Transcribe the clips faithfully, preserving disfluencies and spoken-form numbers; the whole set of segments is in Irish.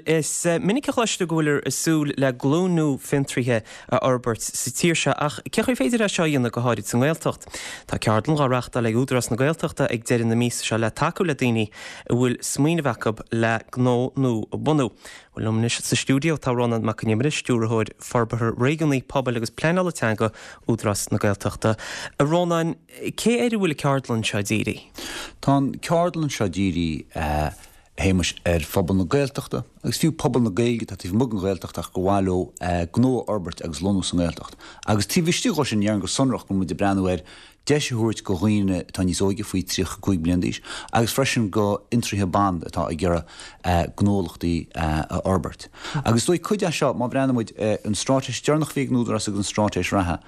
is minic a chloistear go bhfuil ag súil le glúin nua fiontraithe a fhorbairt sa tír seo ach cén chaoi féidir é seo a dhéanamh go háirid sa nGaeltacht. Tá ceardlann á reáchtáil ag Údarás na Gaeltachta ag deireadh na míosa seo le tacú le daoine a bhfuil smaoineamh acu le gnó nua a bhunú. Bhuel liom anois sa stiúideo tá Rónán Mac Con Iomaire, Stiúrthóir Forbartha Réigiúnaí Pobail agus Pleanála Teanga Údarás na Gaeltachta. A Rónán, cé air a bhfuil an ceardlann seo dírithe? Tá an ceardlann seo dírithe a Shéamais ar phobal na Gaeltachta agus fiú pobal na Gaeilge tá taobh amuigh den Ghaeltacht ach go bhfuil leo gnó a fhorbairt agus lonnú sa nGaeltacht. Agus taobh istigh sin dhéarfainn go sonrach go muid ag breathnú ar deis a thabhairt go dhaoine atá níos óige faoi tríocha cúig bliain d'aois agus freisin go fhiontraithe ban atá ag iarraidh gnólachtaí a fhorbairt. Agus dóigh cuid seo má bhreathnaíonn muid an straitéis deireanach a bhí ag an Údarás agus an straitéis reatha,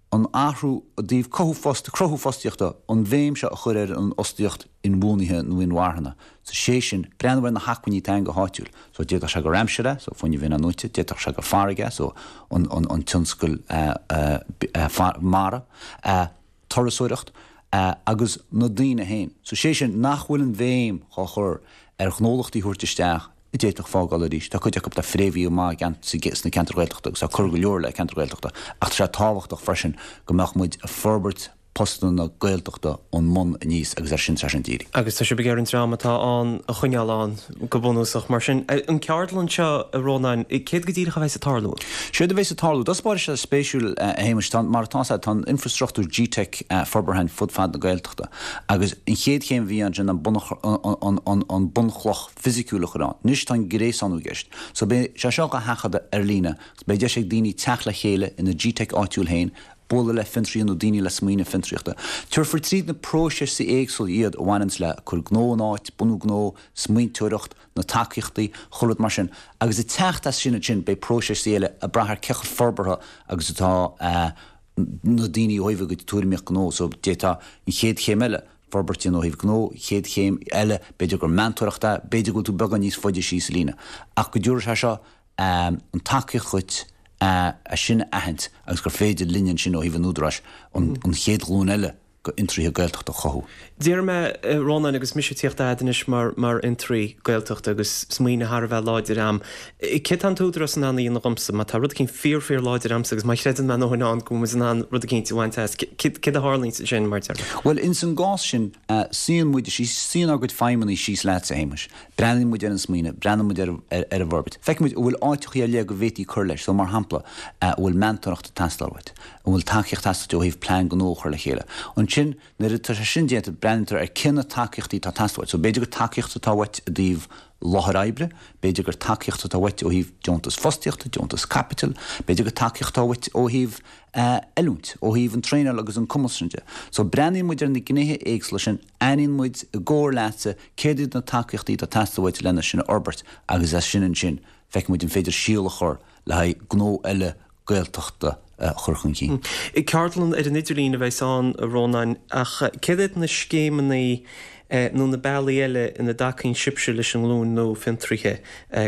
an athrú i dtaobh cothú fost cruthú fostaíochta an bhéim seo a chur ar an fhostaíocht inbhuanaithe nó inmharthana. So sé sin breathnú ar na hacmhainní atá go háitiúil. So d'fhéadfadh sé gur aimsir é, so fuinneamh inathnuaite, d'fhéadfadh sé gur farraige, so an, an, an tionscal uh, uh, uh, mara, uh, turasóireacht, uh, agus na daoine féin. So sé sin nach bhfuil an bhéim á chur ar ghnólachtaí thabhairt isteach i d'fhéadfadh fágáil arís. Tá cuid acu tá fréamhaithe amach sna ceantair Ghaeltachta agus tá cur go leor le ceantar Gaeltachta, ach tá sé tábhachtach freisin go mbeadh muid ag forbairt postanna Gaeltachta ón mbun aníos agus ar sin tá sin dírithe. Agus tá sibh ag iarraidh an dream atá ann a choinneáil ann go bunúsach mar sin an ceardlann seo a Rónáin, céard go díreach a bheas ag tarlú. Séard a bheas ag tarlú, Dos sé spéisiúil a Shéamais mar atá tá an infrastruchtúr GTeic forbartha fud fad na Gaeltachta. Agus an chéad chéim bhí ansin an an bunchloch fisiciúil a chur ann. Anois tá an gréasánú i gceist. So beidh sé seo á thaifeadadh ar líne, beidh deis ag daoine teacht le chéile ina GTeic áitiúil féin, bualadh le fiontraithe nó daoine le smaoineamh fiontraíochta. Tabharfar tríd na próisis éagsúla iad a bhaineann le cur gnó in áit, bunú gnó, smaointeoireacht, na tacaíochtaí, chuile rud mar sin. Agus ag teacht as sin sin beidh próisis eile ag brath ar cé chomh forbartha agus atá uh, na daoine ó thaobh go tuairimíocht gnó, so d'fhéadfá an chéad chéim eile forbairt ó thaobh gnó, chéad chéim eile, b'fhéidir gur meantóireachta, b'fhéidir go bhfuil tú beagán níos faide síos líne. Ach go dtabharfaidh sé seo um, an tacaíocht dhuit uh, a sin a aithint agus gur féidir linn sin ó thaobh an Údaráis an, an chéad ghlúin eile go fhiontraithe Gaeltachta a chothú. Deir mé Rónán agus mise ag tíocht anois mar mar fhiontraí Gaeltachta agus smaoineamh thar a bheith láidir agam. Cé tá an tÚdarás in ann a dhéanamh dhomsa, má tá rud éicint fíor fíor láidir agamsa agus má chreideann mé nó an go bhfuil an rud éicint a bhaint as cé a tharlaíonn sin mar deir. Well ins an gcás sin uh, suíonn muid sí suíonn ár gcuid feidhmeannaigh síos leat a Shéamais. Breathnaíonn muid ar an smaoineamh, breathnaíonn muid ar, ar, ar an bhforbairt. Feiceann muid bhfuil áiteachaí ar leith go bhféadfaí cur leis, so mar shampla uh, bhfuil meantóireacht ag teastáil uait, an bhfuil tacaíocht ag teastáil ó thaobh plean gnó a chur le chéile. Ansin nuair atá sé sin déanta breathnaítear ar cé na tacaíochtaí atá ag teastáil uait. So b'fhéidir gur tacaíocht atá uait i dtaobh láthair oibre, b'fhéidir gur tacaíocht atá uait ó thaobh deontas fostaíochta, deontas caipitil, b'fhéidir gur tacaíocht atá uait ó thaobh uh, oiliúint, ó thaobh an traenáil agus an cumas sin de. So breathnaíonn muid ar na gnéithe éagsúla sin, aithníonn muid i gcomhar leatsa céard iad na tacaíochtaí atá ag teastáil uait lena sin a fhorbairt agus as sin ansin feicfidh muid an féidir síol a chur le haghaidh gnó eile Gaeltachta uh, chur chun cinn. I ceardlann ar an idirlíon a bheas ann a Rónáin ach céard iad na scéimeanna nó na bealaí eile ina dtacaíonn sibhse leis an nglúin nua fiontraithe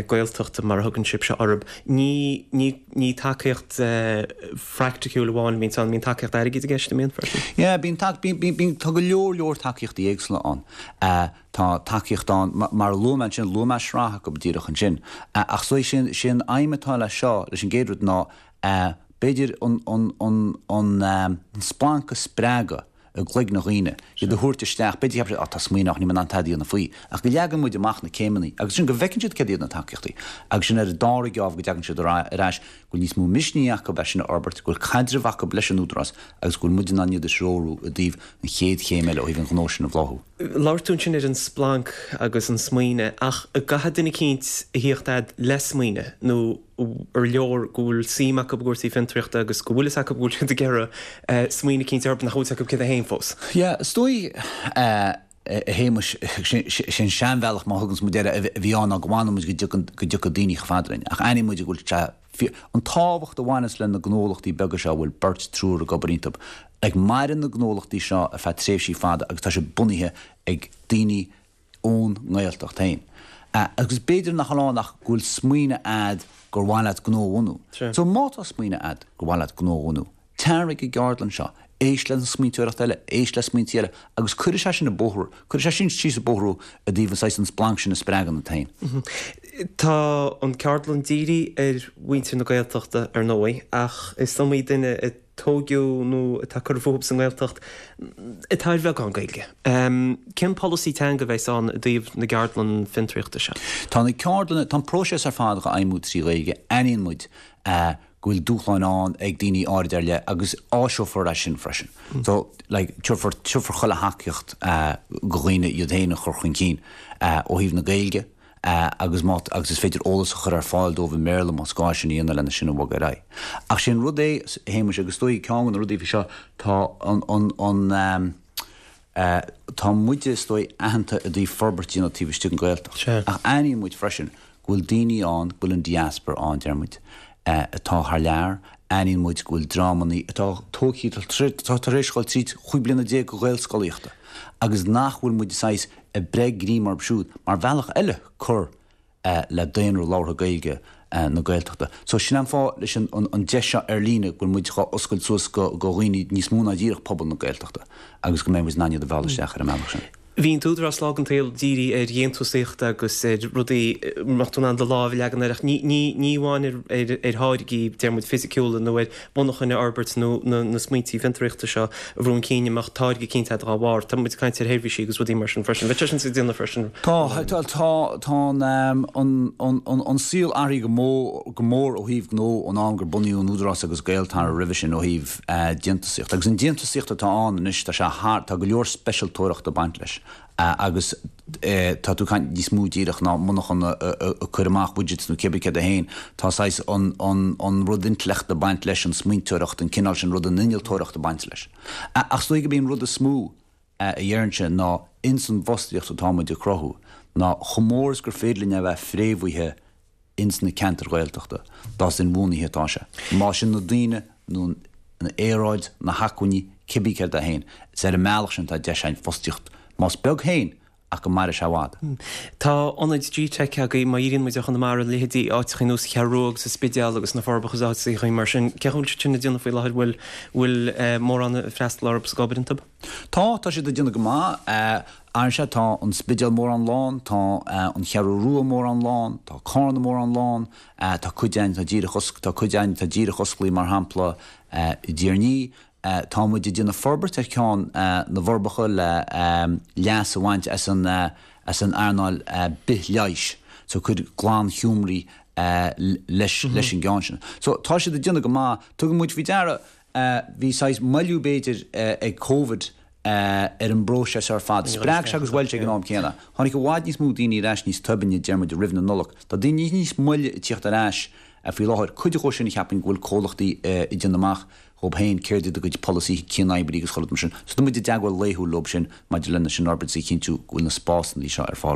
Gaeltachta mar a thugann sibhse orthu. Ní ní ní tacaíocht phraiticiúil amháin bíonn ann bíonn tacaíocht airgid i gceist an mbíonn freisin. Yeah, bíonn bíonn tá go leor leor tacaíochtaí éagsúla ann. Uh, tá tacaíocht ann mar luaigh mé sin luaigh mé sraith acu díreach ansin. Uh, ach so sin sin aidhm atá le seo leis an gcéad rud ná uh, b'fhéidir an, an, an, an, um, an splanc a spreagadh i gcloigne dhaoine, iad a thabhairt isteach, b'fhéidir á tá smaoineamh ní an tadí na faoi, ach go leagann muid amach na céimeanna, agus sin go bhfeiceann siad céard iad na tacaíochtaí, agus sin ar an dara geábh go dtagann siad ar ais go bhfuil níos mó misnigh acu é sin a fhorbairt, go bhfuil caidreamh acu leis an Údarás agus go bhfuil muid in ann iad a threorú i dtaobh an chéad chéim eile ó thaobh an ghnó sin a bhláthú. Labhair tú ansin ar an splanc agus an smaoineamh ach caithfidh duine eicínt a thíocht agat le smaoineamh nó ar leor go bhfuil suim acu i gcúrsaí fiontraíochta agus go bhfuil fhios acu go bhfuil siad ag iarraidh smaoineamh eicínt orthu nach bhfuil acu céard é féin fós. Yeah, is dóigh a Shéamais sin seanbhealach má thugann muid air a bhí ann go bhfanann muid go dtiocfaidh daoine chomh fada linn. Ach aithníonn muid go bhfuil sé an tábhacht a bhaineas le na gnólachtaí beaga seo bhfuil beirt triúr ag obair iontu. Ag maireann na gnólachtaí seo ar feadh tréimhsí fada agus tá sé bunaithe ag daoine ón nGaeltacht féin. Uh, agus b'fhéidir nach lá nach go bhfuil smaoineamh agat gur mhaith leat gnó a bhunú. So má tá smaoineamh agat gur mhaith leat gnó a bhunú. Tar ag an gceardlann seo, éist le smaointeoireacht eile, éist le smaointe eile, agus cuirfidh sé sin an bóthar, cuirfidh sé sin síos an bóthar i dtaobh an saghas an splanc sin a spreagann an tain. Tá an ceardlann dírithe ar mhuintir na Gaeltachta ar ndóigh, ach is iomaí duine a tógadh nó atá curtha fúthu sa nGaeltacht atá ar bheagán Gaeilge. Cén polasaí teanga a bheas ann i dtaobh na gceardlann fiontraíochta seo? Tá na ceardlanna, tá an próiseas ar fad á fheidhmiú trí Ghaeilge. Aithníonn muid go bhfuil dúshláin ann ag daoine áirid ar leith agus áiseofar é sin freisin. So, like, tabharfar, tabharfar chuile thacaíocht go dhaoine iad féin a chur chun cinn ó thaobh na Gaeilge agus má, agus is féidir eolas a chur ar fáil dóibh i mBéarla más gá sin a dhéanamh lena sin a bhogadh ar aghaidh. Ach sé an rud é, a Shéamuis, agus is dóigh ceann de na rudaí faoi seo, tá an, an, an, tá muide is dóigh aitheanta i dtaobh forbairt a dhéanamh taobh istigh den Ghaeltacht. Ach aithníonn muid freisin go bhfuil daoine ann, go bhfuil an diaspora ann, deir muid, atá thar lear, aithníonn muid go bhfuil dreamanna atá tógtha, atá tar éis dhul tríd chúig bliana déag de Ghaelscolaíochta agus nach bhfuil muid saghas ag breith greim orthu siúd mar bhealach eile cur le daonra labhartha Gaeilge na Gaeltachta. So sin an fáth leis an an deis seo ar líne go bhfuil muid dhá oscailt suas go go dhaoine níos mó ná díreach pobal na Gaeltachta agus go mbeidh muid in ann iad a mhealladh isteach ar an mbealach sin. Bhí an tÚdarás lá den tsaol dírithe ar dhéantúsaíocht agus ar rudaí a mbeadh tú in ann do lámh a leagan air ach ní ní amháin ar ar tháirgí, deir muid, fisiciúla nó ar mhonarchain a fhorbairt nó na na smaointí fiontraíochta seo a bhrú chun cinn a mbeadh táirge cinnte dá bharr. Tá muid ag caint ar sheirbhísí agus rudaí mar sin freisin. Bheadh sé sin sa déanamh freisin. Tá, tá, tá an an an an saol athraithe go mór go mór ó thaobh gnó ón am gur bunaíodh an Údarás agus Gaeltarra roimhe sin ó thaobh déantúsaíocht. Agus an déantúsaíocht atá ann anois tá sé thar, tá go leor speisialtóireachta ag baint leis agus tá tú ag caint níos mó díreach ná monarchan ag cur amach widgets nó cibé céard é féin, tá saghas an, an, an rud intleachta ag baint leis, an smaointeoireacht, an cineál sin rud, an innealtóireacht ag baint leis. Ach is dóigh gurb é an rud is mó a deirimse ná ins an bhfostaíocht atá muid ag cruthú ná chomh mór is gur féidir linn a bheith fréamhaithe ins na ceantair Ghaeltachta, dá is inbhuanaithe atá sé. Más sin na daoine nó an aeráid, na hacmhainní, cibé céard é féin, is ar an mbealach sin atá deis againn fostaíocht, más beag féin, ach go maire sé i bhfad. Tá ionaid G-Tech agaibh, má dhíríonn muid ar Chonamara, leithéidí áiteacha ar nós Cheathrú Rua agus an Spidéal agus na Forbacha agus áiteacha mar sin. Cén chaoi a bhfuil siad sin ag déanamh faoi láthair? Bhfuil bhfuil mórán ag freastal orthu is ag obair iontu? Tá, tá siad ag déanamh go maith. Ar sea, tá an Spidéal mórán lán, tá an Cheathrú Rua mórán lán, tá Carna mórán lán, tá cuid againn atá díreach osc, tá cuid againn atá díreach osclaithe mar shampla i dTír an Fhia, Tá muid ag déanamh forbairt ar cheann na bhForbacha le leas a bhaint as an as an earnáil bithleighis, so cuir glan-sheomraí leis leis an gceann sin. So tá siad ag déanamh go maith. Tugann muid faoi deara, bhí saghas moilliú b'fhéidir ag Covid ar an bpróiseas ar fad. Spreag sé agus bhuail sé ag an am céanna. Tháinig i bhfad níos mó daoine ar ais níos toirbinne, deir muid, roimh na Nollag. Tá daoine níos moille ag tíocht ar ais faoi láthair. Cuid dhó sin cheapfainn go bhfuil comhlachtaí ag déanamh amach dhóib féin céard iad a gcuid polasaithe cianoibre agus chuile rud mar sin. So tá muid i dteagmháil laethúil leob sin maidir lena sin a fhorbairt is a chinntiú go bhfuil na spásanna seo ar fáil.